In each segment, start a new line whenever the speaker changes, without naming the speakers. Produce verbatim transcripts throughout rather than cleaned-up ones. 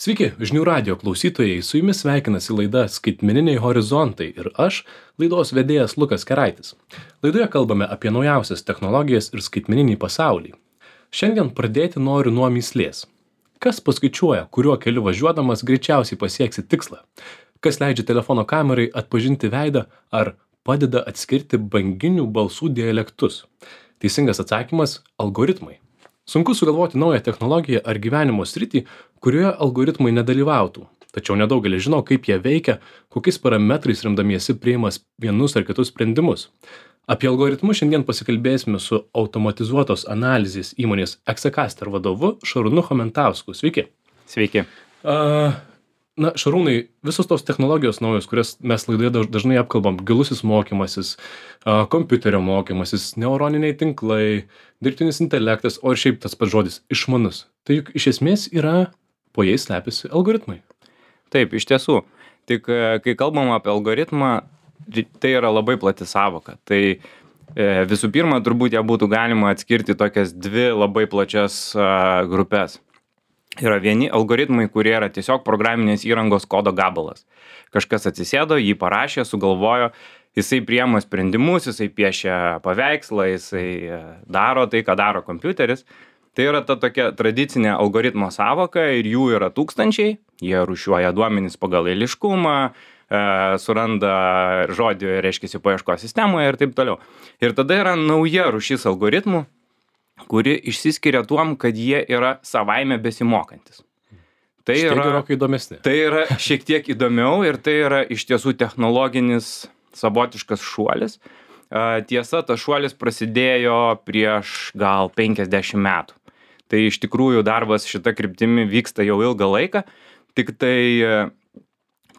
Sveiki, žinių radio klausytojai, su jumis sveikinasi laida Skaitmeniniai horizontai ir aš, laidos vedėjas Lukas Keraitis. Laidoje kalbame apie naujausias technologijas ir skaitmeninį pasaulį. Šiandien pradėti noriu nuo mįslės. Kas paskaičiuoja, kuriuo keliu važiuodamas greičiausiai pasieksi tikslą? Kas leidžia telefono kamerai atpažinti veidą ar padeda atskirti banginių balsų dialektus? Teisingas atsakymas – algoritmai. Sunku sugalvoti naują technologiją ar gyvenimo sritį, kurioje algoritmai nedalyvautų. Tačiau nedaugelis žino, kaip jie veikia, kokiais parametrais remdamiesi priimas vienus ar kitus sprendimus. Apie algoritmus šiandien pasikalbėsime su automatizuotos analizės įmonės Exacaster vadovu Šarūnu Chomentausku. Sveiki.
Sveiki.
Uh, na, Šarūnai, visos tos technologijos naujos, kurias mes laidoje dažnai apkalbam, gilusis mokymasis, uh, kompiuterio mokymasis, neuroniniai tinklai, dirbtinis intelektas, o ir šiaip tas pats žodis – išmanus. Tai juk iš esmės yra, po jais slepiasi algoritmai.
Taip, iš tiesų. Tik kai kalbam apie algoritmą, tai yra labai plati sąvoka. Tai e, visų pirma, turbūt ją būtų galima atskirti tokias dvi labai plačias a, grupės. Yra vieni algoritmai, kurie yra tiesiog programinės įrangos kodo gabalas. Kažkas atsisėdo, jį parašė, sugalvojo, jisai priema sprendimus, jisai piešia paveikslą, jisai daro tai, ką daro kompiuteris. Tai yra ta tokia tradicinė algoritmo sąvoka ir jų yra tūkstančiai. Jie rūšiuoja duomenis pagal eiliškumą, e, suranda žodį, reiškiasi, paieškos sistemoje ir taip toliau. Ir tada yra nauja rūšis algoritmų, kuri išsiskiria tuom, kad jie yra savaime besimokantis. Tai
Štai
yra
gerokai įdomesni.
Tai yra šiek tiek įdomiau ir tai yra iš tiesų technologinis savotiškas šuolis. Tiesa, tas šuolis prasidėjo prieš gal penkiasdešimt metų. Tai iš tikrųjų darbas šita kryptimi vyksta jau ilgą laiką, tik tai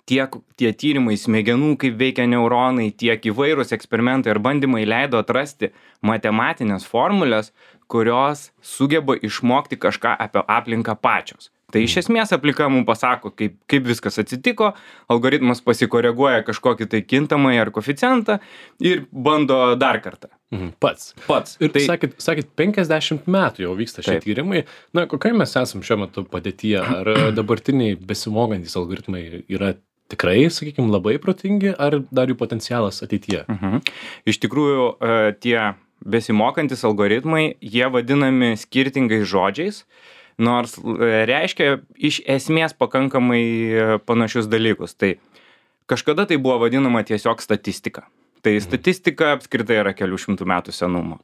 tiek tie tyrimai smegenų, kaip veikia neuronai, tiek įvairūs eksperimentai ir bandymai leido atrasti matematinės formulės, kurios sugeba išmokti kažką apie aplinką pačios. Tai iš esmės aplika mums pasako, kaip, kaip viskas atsitiko, algoritmas pasikoreguoja kažkokį tai kintamąjį ar koeficientą ir bando dar kartą.
Mhm. Pats.
Pats.
Ir
tai,
sakėt, sakėt, penkiasdešimt metų jau vyksta šie
Taip.
tyrimai. Na, kokie mes esam šiuo metu padėtyje? Ar dabartiniai besimokantys algoritmai yra tikrai, sakykime, labai protingi, ar dar jų potencialas ateityje?
Mhm. Iš tikrųjų, tie besimokantis algoritmai, jie vadinami skirtingais žodžiais, nors reiškia iš esmės pakankamai panašius dalykus. Tai kažkada tai buvo vadinama tiesiog statistika. Tai statistika apskritai yra kelių šimtų metų senumo.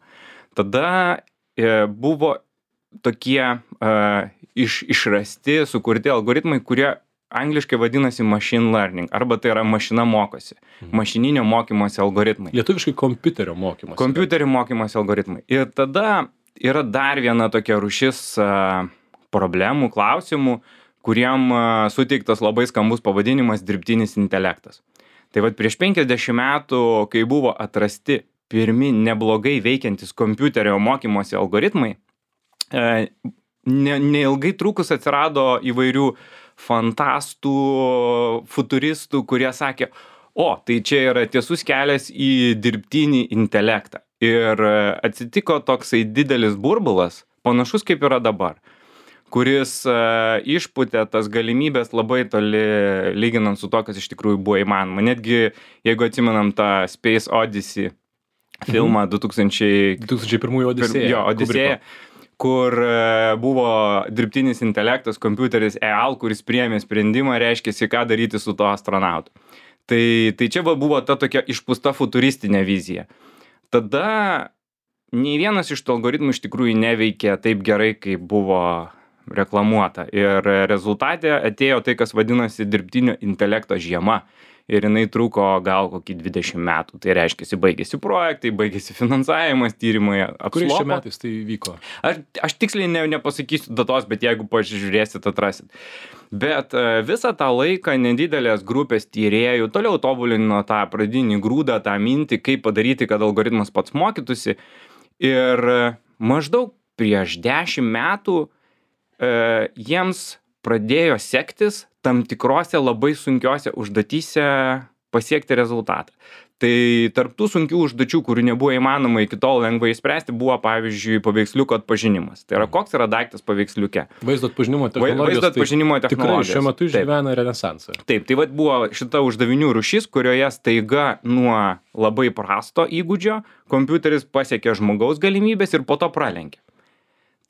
Tada e, buvo tokie e, iš, išrasti, sukurti algoritmai, kurie angliškai vadinasi machine learning, arba tai yra mašina mokosi. Mašininio mokymosi algoritmai.
Lietuviškai kompiuterio mokymas.
Kompiuterio mokymosi algoritmai. Ir tada yra dar viena tokia rūšis a, problemų, klausimų, kuriem a, suteiktas labai skambus pavadinimas dirbtinis intelektas. Tai vat prieš penkiasdešimt metų, kai buvo atrasti pirmi neblogai veikiantis kompiuterio mokymosi algoritmai, e, ne, neilgai trukus atsirado įvairių fantastų, futuristų, kurie sakė, o, tai čia yra tiesus kelias į dirbtinį intelektą. Ir atsitiko toksai didelis burbulas, panašus kaip yra dabar, kuris uh, išputė tas galimybės labai toli, lyginant su to, kas iš tikrųjų buvo įmanoma. Netgi, jeigu atsimenam tą Space Odyssey filmą du tūkstančiai
du tūkstančiai pirmųjų Odisėja.
Jo, Odisėja, kur uh, buvo dirbtinis intelektas, kompiuteris E A L, kuris priėmė sprendimą, reiškia, ką daryti su to astronautu. Tai, tai čia va buvo ta tokia išpūsta futuristinė vizija. Tada nei vienas iš tų algoritmų iš tikrųjų neveikė taip gerai, kaip buvo reklamuota. Ir rezultate atėjo tai, kas vadinasi dirbtinio intelekto žiema. Ir jinai truko gal kokį dvidešimt metų. Tai reiškia, baigėsi projektai, baigėsi finansavimas, tyrimai apslopo.
Kuriais čia metais tai vyko?
Aš, aš tiksliai ne, nepasakysiu datos, bet jeigu pažiūrėsit, atrasit. Bet visą tą laiką nedidelės grupės tyrėjų toliau tobulino tą pradinį grūdą, tą mintį, kaip padaryti, kad algoritmas pats mokytųsi. Ir maždaug prieš dešimt metų e, jiems pradėjo sektis tam tikrose labai sunkiose užduotyse pasiekti rezultatą. Tai tarp tų sunkių užduočių, kurių nebuvo įmanoma iki tol lengvai išspręsti, buvo pavyzdžiui paveiksliuko atpažinimas. Tai yra, koks yra daiktas paveiksliuke.
Vaizdo atpažinimo technologijos.
Vaizdo atpažinimo
tai
technologijos.
Tikrai šiuo metu išgyvena renesansą.
Taip, tai vat buvo šita uždavinių rūšis, kurioje staiga nuo labai prasto įgūdžio kompiuteris pasiekė žmogaus galimybės ir po to pralenkė.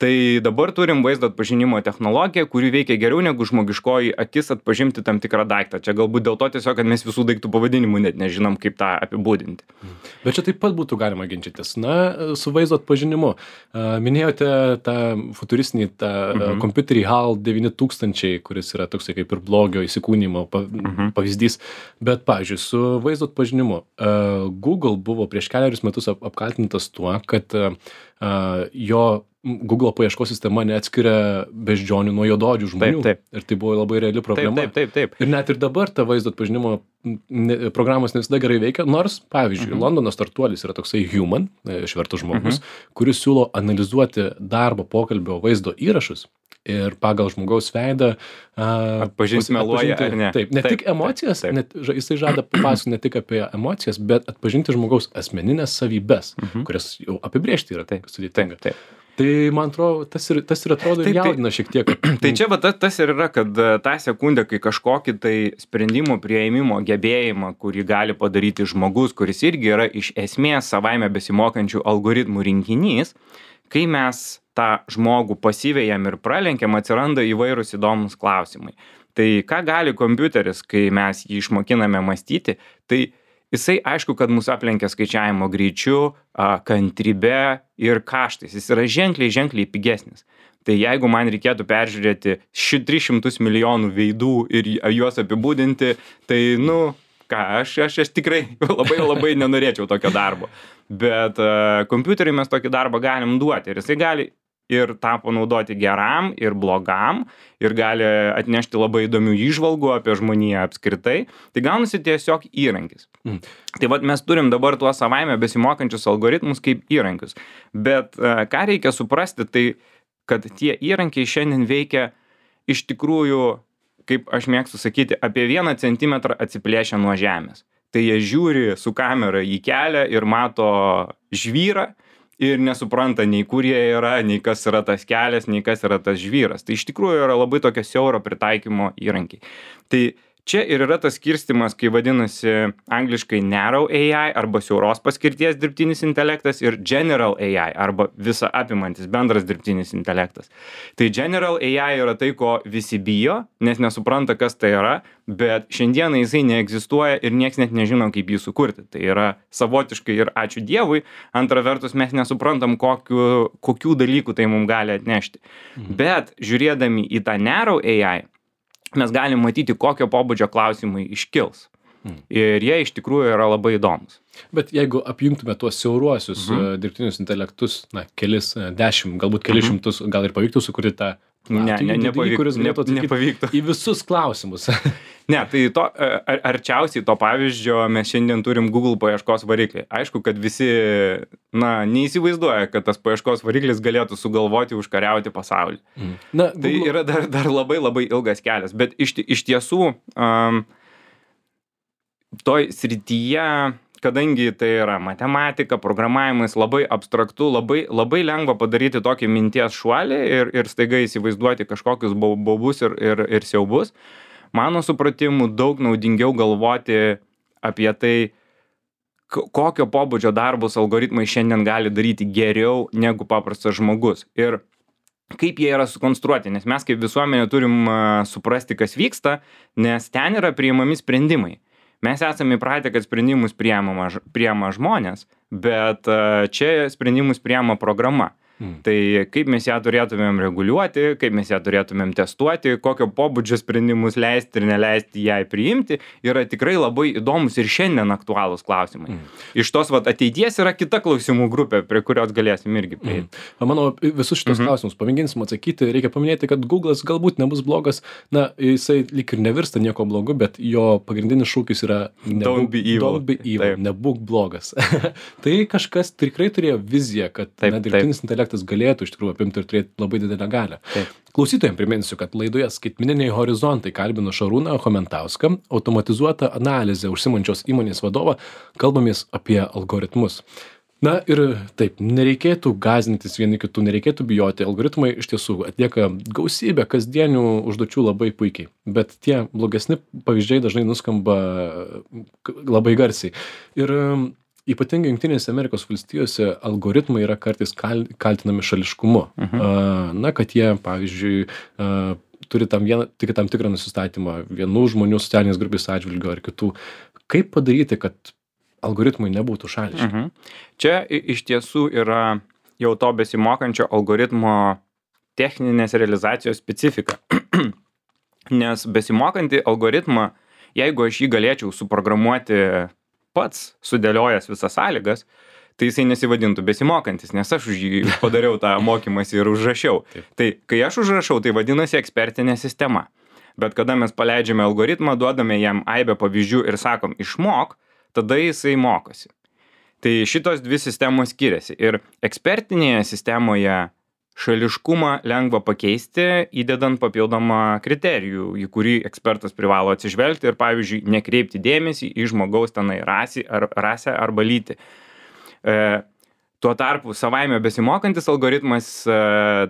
Tai dabar turim vaizdo atpažinimo technologiją, kuri veikia geriau negu žmogiškoji akis atpažinti tam tikrą daiktą. Čia galbūt dėl to tiesiog, kad mes visų daiktų pavadinimų net nežinom, kaip tą apibūdinti.
Bet čia taip pat būtų galima ginčytis. Na, su vaizdo atpažinimu. Minėjote tą futuristinį tą mhm. kompiuterį HAL devyni tūkstančiai, kuris yra toksai kaip ir blogio įsikūnymo mhm. pavyzdys. Bet, pavyzdžiui, su vaizdo atpažinimu Google buvo prieš keliarius metus apkaltintas tuo, kad jo Google paieškos sistema neatskiria beždžionių nuo juodaodžių žmonių.
Taip, taip.
Ir tai buvo labai reali problema.
Taip, taip, taip, taip.
Ir net ir dabar ta vaizdo atpažinimo ne, programos ne visada gerai veikia, nors, pavyzdžiui, mhm. Londono startuolis yra toksai Human, išvertus žmogus, mhm. kuris siūlo analizuoti darbo pokalbio vaizdo įrašus ir pagal žmogaus veidą
atpažinti meluoja ar ne.
Taip, ne taip, tik emocijas, taip, taip. Net, jisai žada papasakoti ne tik apie emocijas, bet atpažinti žmogaus asmeninės savybes, mhm. kurias jau apibrėžti yra taip sudėtinga.
Taip, taip.
Tai, man atrodo, tas ir, tas ir atrodo ir jaudina šiek tiek.
Tai čia va, tas, tas ir yra, kad tą sekundę, kai kažkokį tai sprendimo prieimimo gebėjimą, kurį gali padaryti žmogus, kuris irgi yra iš esmės savaime besimokančių algoritmų rinkinys, kai mes tą žmogų pasivejam ir pralenkiam, atsiranda įvairūs įdomus klausimai. Tai ką gali kompiuteris, kai mes jį išmokiname mąstyti, tai jisai aišku, kad mus aplenkia skaičiavimo greičiu, kantrybe ir kaštais. Jis yra ženkliai, ženkliai pigesnis. Tai jeigu man reikėtų peržiūrėti šį tris šimtus milijonų veidų ir juos apibūdinti, tai, nu, ką, aš, aš, aš tikrai labai, labai nenorėčiau tokio darbo. Bet uh, kompiuteriui mes tokį darbą galim duoti ir jisai gali ir tą panaudoti geram ir blogam ir gali atnešti labai įdomių įžvalgų apie žmoniją apskritai. Tai gaunasi tiesiog įrankis. Mm. Tai vat mes turim dabar tuos savaime besimokančius algoritmus kaip įrankius. Bet uh, ką reikia suprasti, tai kad tie įrankiai šiandien veikia iš tikrųjų, kaip aš mėgstu sakyti, apie vieną centimetrą atsiplėšę nuo žemės. Tai jie žiūri su kamera į kelią ir mato žvyrą, ir nesupranta nei kur jie yra, nei kas yra tas kelias, nei kas yra tas žvyras. Tai iš tikrųjų yra labai tokio siauro pritaikymo įrankiai. Tai čia ir yra tas skirstymas, kai vadinasi angliškai narrow A I arba siauros paskirties dirbtinis intelektas ir general A I arba visa apimantis bendras dirbtinis intelektas. Tai general A I yra tai, ko visi bijo, nes nesupranta, kas tai yra, bet šiandieną jisai neegzistuoja ir nieks net nežino, kaip jį sukurti. Tai yra savotiškai ir ačiū Dievui, antra vertus mes nesuprantam, kokiu, kokių dalykų tai mums gali atnešti. Mhm. Bet žiūrėdami į tą narrow A I, mes galim matyti, kokio pobūdžio klausimai iškils. Hmm. Ir jie iš tikrųjų yra labai įdomus.
Bet jeigu apjungtume tuos siauruosius mhm. dirbtinius intelektus, na, kelis, dešimt, galbūt kelis mhm. šimtus, gal ir pavyktų sukurti tą
Ne, ne, nepavyk,
kuris galėtų
ne, nepavyktų.
Į visus klausimus.
Ne, tai to, ar, arčiausiai to pavyzdžio mes šiandien turim Google paieškos variklį. Aišku, kad visi, na, neįsivaizduoja, kad tas paieškos variklis galėtų sugalvoti užkariauti pasaulį. Mm. Na, tai Google... yra dar, dar labai labai ilgas kelias, bet iš, iš tiesų um, toj srityje, kadangi tai yra matematika, programavimas, labai abstraktu, labai, labai lengva padaryti tokį minties šuolį ir, ir staiga įsivaizduoti kažkokius baubus ir, ir, ir siaubus. Mano supratimu, daug naudingiau galvoti apie tai, kokio pobūdžio darbus algoritmai šiandien gali daryti geriau negu paprastas žmogus. Ir kaip jie yra sukonstruoti, nes mes kaip visuomenė turim suprasti, kas vyksta, nes ten yra priimami sprendimai. Mes esame įpratę, kad sprendimus priima, priima žmonės, bet čia sprendimus priima programa. Hmm. Tai kaip mes ją turėtumėm reguliuoti, kaip mes ją turėtumėm testuoti, kokio pobūdžio sprendimus leisti ir neleisti jai priimti, yra tikrai labai įdomus ir šiandien aktualūs klausimai. Hmm. Iš tos vat, ateities yra kita klausimų grupė, prie kurios galėsim irgi prieiti.
Hmm. Manau, visus šitos hmm. klausimus pamėginsim atsakyti. Reikia paminėti, kad Google'as galbūt nebus blogas, na, jisai lyg ir nevirsta nieko blogu, bet jo pagrindinis šūkis yra
nebūk, don't be evil,
don't be evil nebūk blogas. Tai kažkas tikrai turėjo viziją, kad
taip,
na, dirbtinis intelektas kartais galėtų iš tikrųjų apimti ir turėti labai didelę galią.
Taip.
Klausytojams priminsiu, kad laidoje Skaitmeniniai horizontai kalbino Šarūną Chomentauską, automatizuotą analizę užsimančios įmonės vadovą, kalbamės apie algoritmus. Na ir taip, nereikėtų gąsdintis vieni kitų, nereikėtų bijoti. Algoritmai iš tiesų atlieka gausybę kasdienių užduočių labai puikiai, bet tie blogesni pavyzdžiai dažnai nuskamba labai garsiai. Ir ypatingai Jungtinėse Amerikos valstijose algoritmai yra kartais kal, kaltinami šališkumu. Uh-huh. Na, kad jie, pavyzdžiui, turi tam, vieną, tik tam tikrą nusistatymą vienų žmonių socialinės grupės atžvilgių ar kitų. Kaip padaryti, kad algoritmai nebūtų šališki?
Mhm. Čia iš tiesų yra jau to besimokančio algoritmo techninės realizacijos specifika. Nes besimokantį algoritmą, jeigu aš jį galėčiau suprogramuoti pats, sudėliojęs visas sąlygas, tai jisai nesivadintų besimokantis, nes aš už jį padariau tą mokymąsi ir užrašiau. Taip. Tai kai aš užrašau, tai vadinasi ekspertinė sistema. Bet kada mes paleidžiame algoritmą, duodame jam aibę pavyzdžių ir sakom išmok, tada jisai mokosi. Tai šitos dvi sistemos skiriasi. Ir ekspertinėje sistemoje šališkumą lengva pakeisti, įdedant papildomą kriterijų, į kurį ekspertas privalo atsižvelgti ir, pavyzdžiui, nekreipti dėmesį į žmogaus tenai rasį, ar, rasę arba lytį. E, tuo tarpu savaime besimokantis algoritmas e,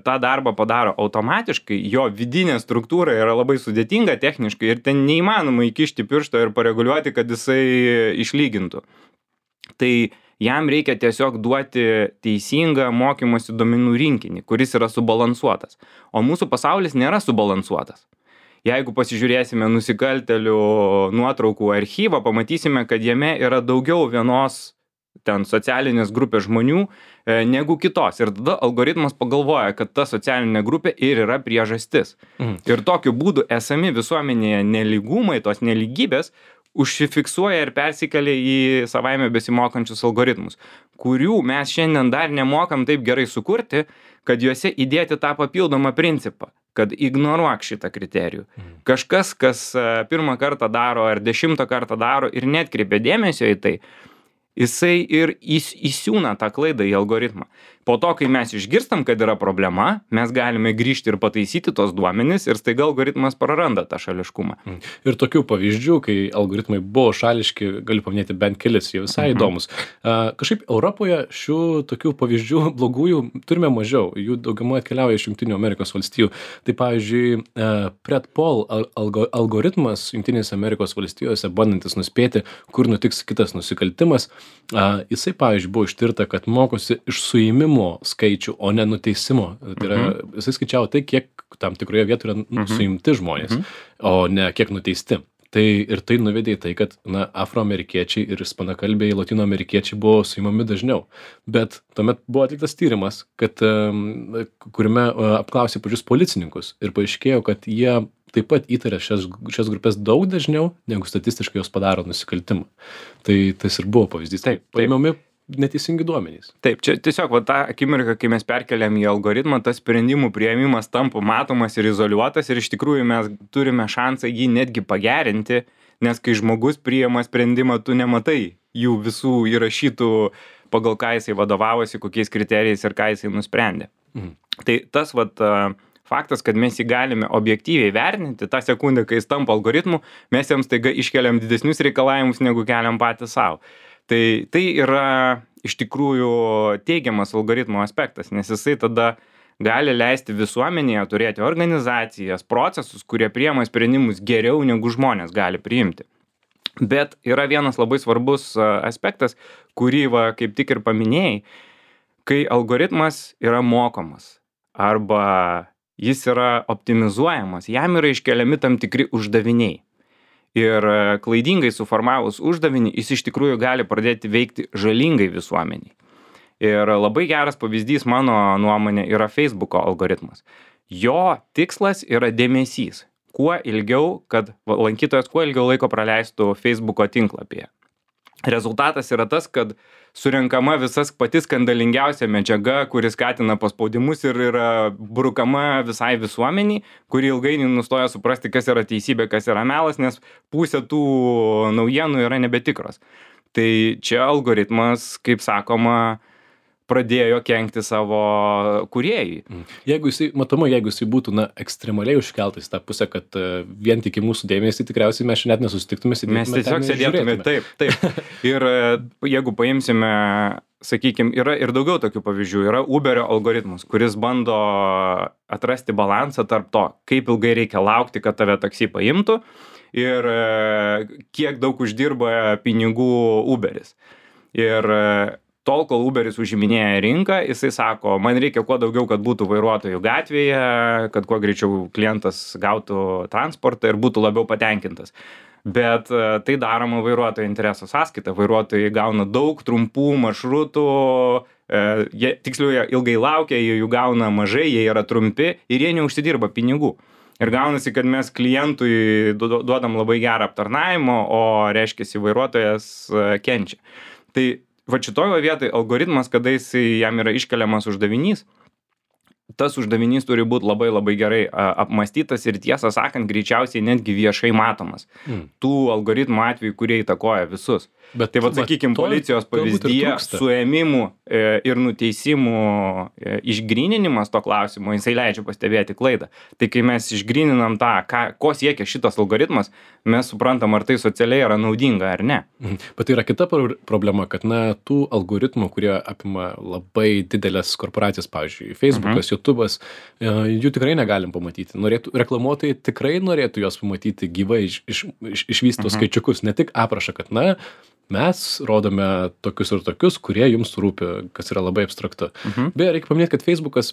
tą darbą padaro automatiškai, jo vidinė struktūra yra labai sudėtinga techniškai ir ten neįmanoma įkišti piršto ir pareguliuoti, kad jisai išlygintų. Tai jam reikia tiesiog duoti teisingą mokymosi duomenų rinkinį, kuris yra subalansuotas. O mūsų pasaulis nėra subalansuotas. Jeigu pasižiūrėsime nusikaltelių nuotraukų archyvą, pamatysime, kad jame yra daugiau vienos ten socialinės grupės žmonių e, negu kitos. Ir tada algoritmas pagalvoja, kad ta socialinė grupė ir yra priežastis. Mhm. Ir tokiu būdu esami visuomenėje nelygumai, tos nelygybės, užsifiksuoja ir persikelia į savaime besimokančius algoritmus, kurių mes šiandien dar nemokam taip gerai sukurti, kad juose įdėti tą papildomą principą, kad ignoruok šitą kriterijų. Mhm. Kažkas, kas pirmą kartą daro ar dešimtą kartą daro ir netkreipia dėmesio į tai, jisai ir įs, įsiūna tą klaidą į algoritmą. Po to, kai mes išgirstam, kad yra problema, mes galime grįžti ir pataisyti tos duomenis ir staiga algoritmas praranda tą šališkumą.
Ir tokių pavyzdžių, kai algoritmai buvo šališki, galiu paminėti bent kelis, jie visai mhm. įdomus. Uh, kažkaip Europoje šių tokių pavyzdžių blogųjų turime mažiau, jų daugiamai atkeliauja iš Jungtinių Amerikos valstijų. Tai pavyzdžiui, uh, Predpol algo, algoritmas Jungtinėse Amerikos valstijose, bandantis nuspėti, kur nutiks kitas nusikaltimas, uh, jisai, pavyzdžiui, buvo ištirta, kad mokosi iš suėmimo skaičių, o ne nuteisimo. Tai yra, mhm. jisai skaičiavo tai, kiek tam tikroje vietoje yra mhm. suimti žmonės, mhm. o ne kiek nuteisti. Tai ir tai nuvedė į tai, kad na, afroamerikiečiai ir ispanakalbiai, latinoamerikiečiai buvo suimami dažniau. Bet tuomet buvo atliktas tyrimas, kad, kuriame apklausė pačius policininkus ir paaiškėjo, kad jie taip pat įtarė šias, šias grupės daug dažniau, negu statistiškai jos padaro nusikaltimą. Tai tas ir buvo pavyzdys.
Taip, taip.
Paimami neteisingi duomenys.
Taip, čia tiesiog va, tą akimirką, kai mes perkeliam į algoritmą, tas sprendimų priėmimas tampa matomas ir izoliuotas ir iš tikrųjų mes turime šansą jį netgi pagerinti, nes kai žmogus priėma sprendimą, tu nematai jų visų įrašytų, pagal ką jisai vadovavosi, kokiais kriterijais ir ką jisai nusprendė. Mhm. Tai tas vat, faktas, kad mes jį galime objektyviai vertinti, tą sekundę, kai jis tampa algoritmu, mes jiems taiga iškeliam didesnius reikalavimus, negu keliam patys savo. Tai, tai yra iš tikrųjų teigiamas algoritmo aspektas, nes jisai tada gali leisti visuomenėje turėti organizacijas, procesus, kurie priima sprendimus geriau negu žmonės gali priimti. Bet yra vienas labai svarbus aspektas, kurį va, kaip tik ir paminėjai, kai algoritmas yra mokomas arba jis yra optimizuojamas, jam yra iškeliami tam tikri uždaviniai. Ir klaidingai suformavus uždavinį, jis iš tikrųjų gali pradėti veikti žalingai visuomeniai. Ir labai geras pavyzdys mano nuomonė yra Facebooko algoritmas. Jo tikslas yra dėmesys. Kuo ilgiau, kad lankytojas kuo ilgiau laiko praleistų Facebooko tinklapyje. Rezultatas yra tas, kad surenkama visas pati skandalingiausia medžiaga, kuri skatina paspaudimus ir yra brukama visai visuomeniai, kuri ilgainiui nustoja suprasti, kas yra teisybė, kas yra melas, nes pusė tų naujienų yra nebetikros. Tai čia algoritmas, kaip sakoma, pradėjo kenkti savo kūrėjui.
Jeigu jisai, matomai, jeigu jisai būtų, na, ekstremaliai užkeltas į tą pusę, kad uh, vien tik į mūsų dėmesį, tikriausiai mes šiandien net nesusitiktume,
mes tiesiog sėdėtume, taip, taip. Ir jeigu paimsime, sakykime, yra ir daugiau tokių pavyzdžių, yra Uberio algoritmas, kuris bando atrasti balansą tarp to, kaip ilgai reikia laukti, kad tave taksi paimtų ir kiek daug uždirba pinigų Uberis. Ir tol, kol Uberis užiminėja rinką, jisai sako, man reikia kuo daugiau, kad būtų vairuotojų gatvėje, kad kuo greičiau klientas gautų transportą ir būtų labiau patenkintas. Bet tai daroma vairuotojo intereso sąskaita. Vairuotojai gauna daug trumpų maršrutų, jie, tiksliau, jie ilgai laukia, jie jų gauna mažai, jie yra trumpi ir jie neužsidirba pinigų. Ir gaunasi, kad mes klientui duodam labai gerą aptarnavimą, o reiškiasi vairuotojas kenčia. Tai va šitoje vietoje algoritmas, kada jisai jam yra iškeliamas uždavinys, tas uždavinys turi būti labai labai gerai apmąstytas ir tiesą sakant, greičiausiai netgi viešai matomas. Mm. Tų algoritmų atvejų, kurie įtakoja visus. Bet, tai va, sakykime, policijos pavyzdyje suėmimų e, ir nuteisimų e, išgryninimas to klausimo, jisai leidžia pastebėti klaidą. Tai kai mes išgryninam tą, ką, ko siekia šitas algoritmas, mes suprantam, ar tai socialiai yra naudinga ar ne.
Mhm. Bet tai yra kita problema, kad na, tų algoritmų, kurie apima labai didelės korporacijas, pavyzdžiui, Facebookas, mhm. YouTube'as, e, jų tikrai negalim pamatyti. Norėtų, reklamuotojai tikrai norėtų juos pamatyti gyvai, iš, iš, iš, išvystytus mhm. skaičiukus, ne tik aprašą, kad na, mes rodome tokius ir tokius, kurie jums rūpi, kas yra labai abstraktu. Mhm. Beje, reikia paminėti, kad Facebookas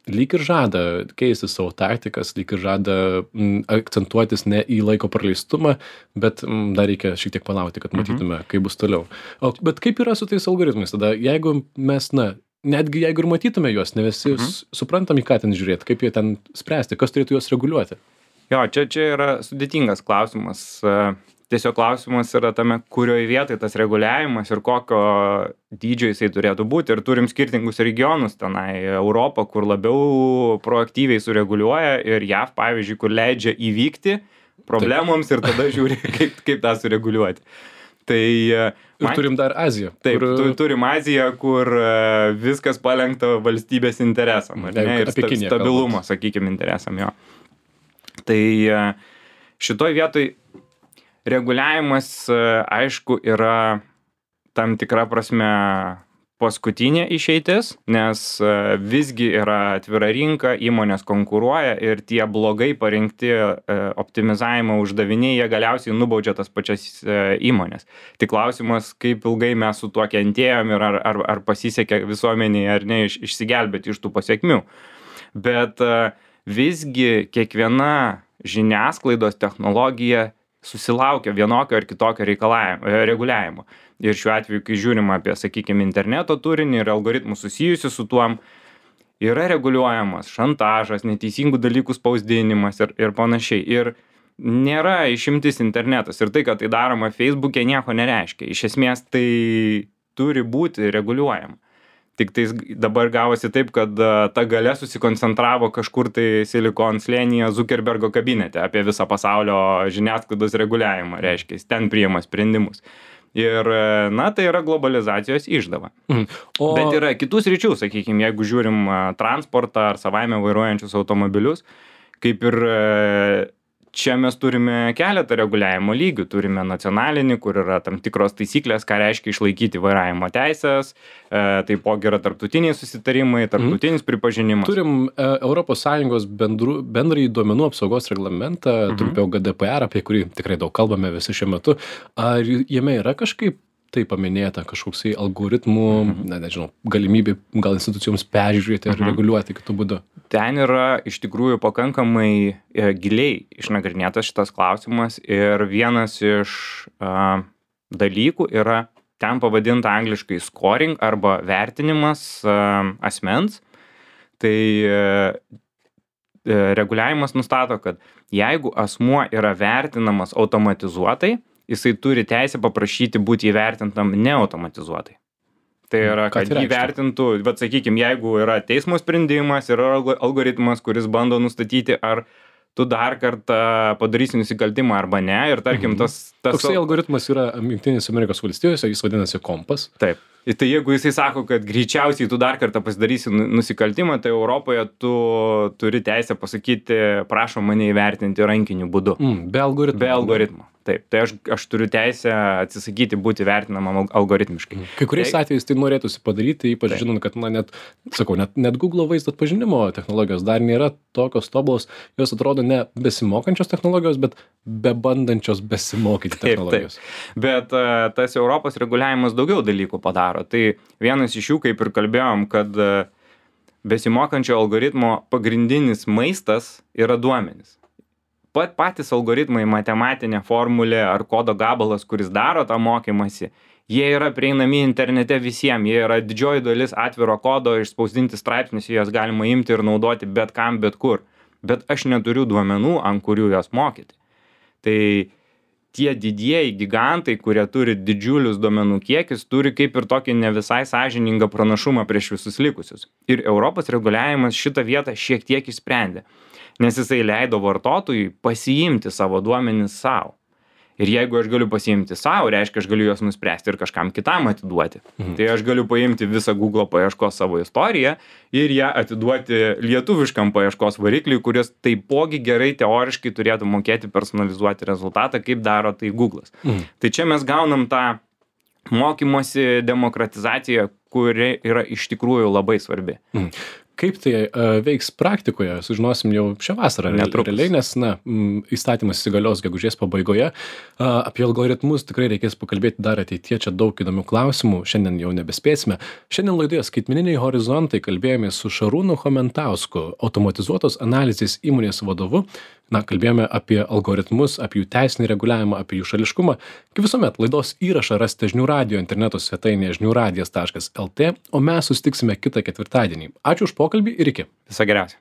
lyg ir žada keisti savo taktikas, lyg ir žada m, akcentuotis ne į laiko praleistumą, bet m, dar reikia šiek tiek palaukti, kad matytume, mhm. kaip bus toliau. O, bet kaip yra su tais algoritmais tada, jeigu mes, na, netgi jeigu ir matytume juos, ne visi mhm. suprantam, į ką ten žiūrėti, kaip jie ten spręsti, kas turėtų juos reguliuoti?
Jo, čia, čia yra sudėtingas klausimas. Tiesiog klausimas yra tame, kurioje vietoje tas reguliavimas ir kokio dydžio jisai turėtų būti. Ir turim skirtingus regionus tenai. Europą, kur labiau proaktyviai sureguliuoja, ir J A V, pavyzdžiui, kur leidžia įvykti problemoms ir tada žiūri, kaip, kaip tą sureguliuoti. Tai,
ir man, turim dar Aziją.
Taip, kur... turim Aziją, kur viskas palenkta valstybės interesam. Ne, ir sta, stabilumo, sakykime, interesam jo. Tai šitoj vietoj reguliavimas, aišku, yra tam tikra prasme paskutinė išeitis, nes visgi yra atvira rinka, įmonės konkuruoja ir tie blogai parinkti optimizavimo uždaviniai, jie galiausiai nubaudžia tas pačias įmonės. Tik klausimas, kaip ilgai mes su tuo kentėjom ir ar, ar, ar pasisekė visuomeniai ar ne iš, išsigelbėti iš tų pasiekmių. Bet visgi kiekviena žiniasklaidos technologija susilaukia vienokio ar kitokio reguliavimo. Ir šiuo atveju, kai žiūrim apie, sakykime, interneto turinį ir algoritmų susijusių su tuom, yra reguliuojamas šantažas, neteisingų dalykų spausdinimas ir, ir panašiai. Ir nėra išimtis internetas. Ir tai, kad tai daroma Facebook'e, nieko nereiškia. Iš esmės tai turi būti reguliuojama. Tik tai dabar gavosi taip, kad ta galia susikoncentravo kažkur tai Silikon slėnyje Zuckerbergo kabinete apie visą pasaulio žiniasklaidos reguliavimą, reiškia, ten priima sprendimus. Ir, na, tai yra globalizacijos išdava. Mhm. O... Bet yra kitų sričių, sakykime, jeigu žiūrim transportą ar savaime vairuojančius automobilius, kaip ir čia mes turime keletą reguliavimo lygių. Turime nacionalinį, kur yra tam tikros taisyklės, ką reiškia išlaikyti vairavimo teisės, e, taipogi yra tarptautiniai susitarimai, tarptautinis mm. pripažinimas.
Turim e, Europos Sąjungos bendrų, bendrąjį duomenų apsaugos reglamentą, mm-hmm. trumpiau G D P R, apie kurį tikrai daug kalbame visi šiuo metu. Ar jame yra kažkaip tai paminėta kažkoksai algoritmų, mm-hmm. ne, nežinau, galimybė gal institucijoms peržiūrėti ar mm-hmm. reguliuoti kitų būdų?
Ten yra iš tikrųjų pakankamai e, giliai išnagrinėtas šitas klausimas ir vienas iš e, dalykų yra ten pavadinta angliškai scoring arba vertinimas e, asmens. Tai e, e, reguliavimas nustato, kad jeigu asmuo yra vertinamas automatizuotai, jisai turi teisę paprašyti būti įvertintam neautomatizuotai. Tai yra, kad tai įvertintų, bet sakykime, jeigu yra teismo sprendimas, yra algoritmas, kuris bando nustatyti, ar tu dar kartą padarysi nusikaltimą arba ne. Ir tarkim,
Mhm.
tas... tas
Toksai algoritmas yra Jungtinėse Amerikos valstijose, jis vadinasi kompas.
Taip. Ir tai jeigu jisai sako, kad greičiausiai tu dar kartą pasidarysi nu- nusikaltimą, tai Europoje tu turi teisę pasakyti, prašom mane įvertinti rankiniu būdu.
Mm, be algoritmo.
Be algoritmo. Taip. Tai aš, aš turiu teisę atsisakyti būti vertinamam al- algoritmiškai.
Kai kuriais
Tai-
atvejais tai norėtųsi padaryti, ypač
Taip.
žinant, kad, na, net, sakau, net, net Google vaizdo atpažinimo technologijos dar nėra tokios tobulos, jos atrodo ne besimokančios technologijos, bet bebandančios besimokyti
Taip,
technologijos.
taip. Bet uh, tas Europos reguliavimas daugiau dalykų padaro. Tai vienas iš jų, kaip ir kalbėjom, kad uh, besimokančio algoritmo pagrindinis maistas yra duomenys. Pat patys algoritmai, matematinė formulė ar kodo gabalas, kuris daro tą mokymasi, jie yra prieinami internete visiems, jie yra didžioji dalis atviro kodo, išspausdinti straipsnius, juos galima imti ir naudoti bet kam, bet kur. Bet aš neturiu duomenų, ant kurių juos mokyti. Tai tie didieji gigantai, kurie turi didžiulius duomenų kiekius, turi kaip ir tokį ne visai sąžiningą pranašumą prieš visus likusius. Ir Europos reguliavimas šitą vietą šiek tiek išsprendė, nes jisai leido vartotojui pasiimti savo duomenis savo. Ir jeigu aš galiu pasiimti savo, reiškia, aš galiu juos nuspręsti ir kažkam kitam atiduoti. Mhm. Tai aš galiu paimti visą Google paieškos savo istoriją ir ją atiduoti lietuviškam paieškos varikliui, kuris taipogi gerai teoriškai turėtų mokėti personalizuoti rezultatą, kaip daro tai Google'as. Mhm. Tai čia mes gaunam tą mokymosi demokratizaciją, kuri yra iš tikrųjų labai svarbi.
Mhm. Kaip tai uh, veiks praktikoje, sužinosim jau šią vasarą
Netrukus.
realiai, nes na, m, įstatymas įsigalios gegužės pabaigoje. Uh, apie algoritmus tikrai reikės pakalbėti dar ateityje, čia daug įdomių klausimų, šiandien jau nebespėsime. Šiandien laidoje Skaitmeniniai horizontai kalbėjome su Šarūnu Chomentausku, automatizuotos analizės įmonės vadovu. Na, kalbėjome apie algoritmus, apie jų teisinį reguliavimą, apie jų šališkumą. Kaip visuomet, laidos įrašą rasite žinių radijo interneto svetainėje žinių radijas taškas lt, o mes susitiksime kitą ketvirtadienį. Ačiū už pokalbį ir iki.
Viso geriausio.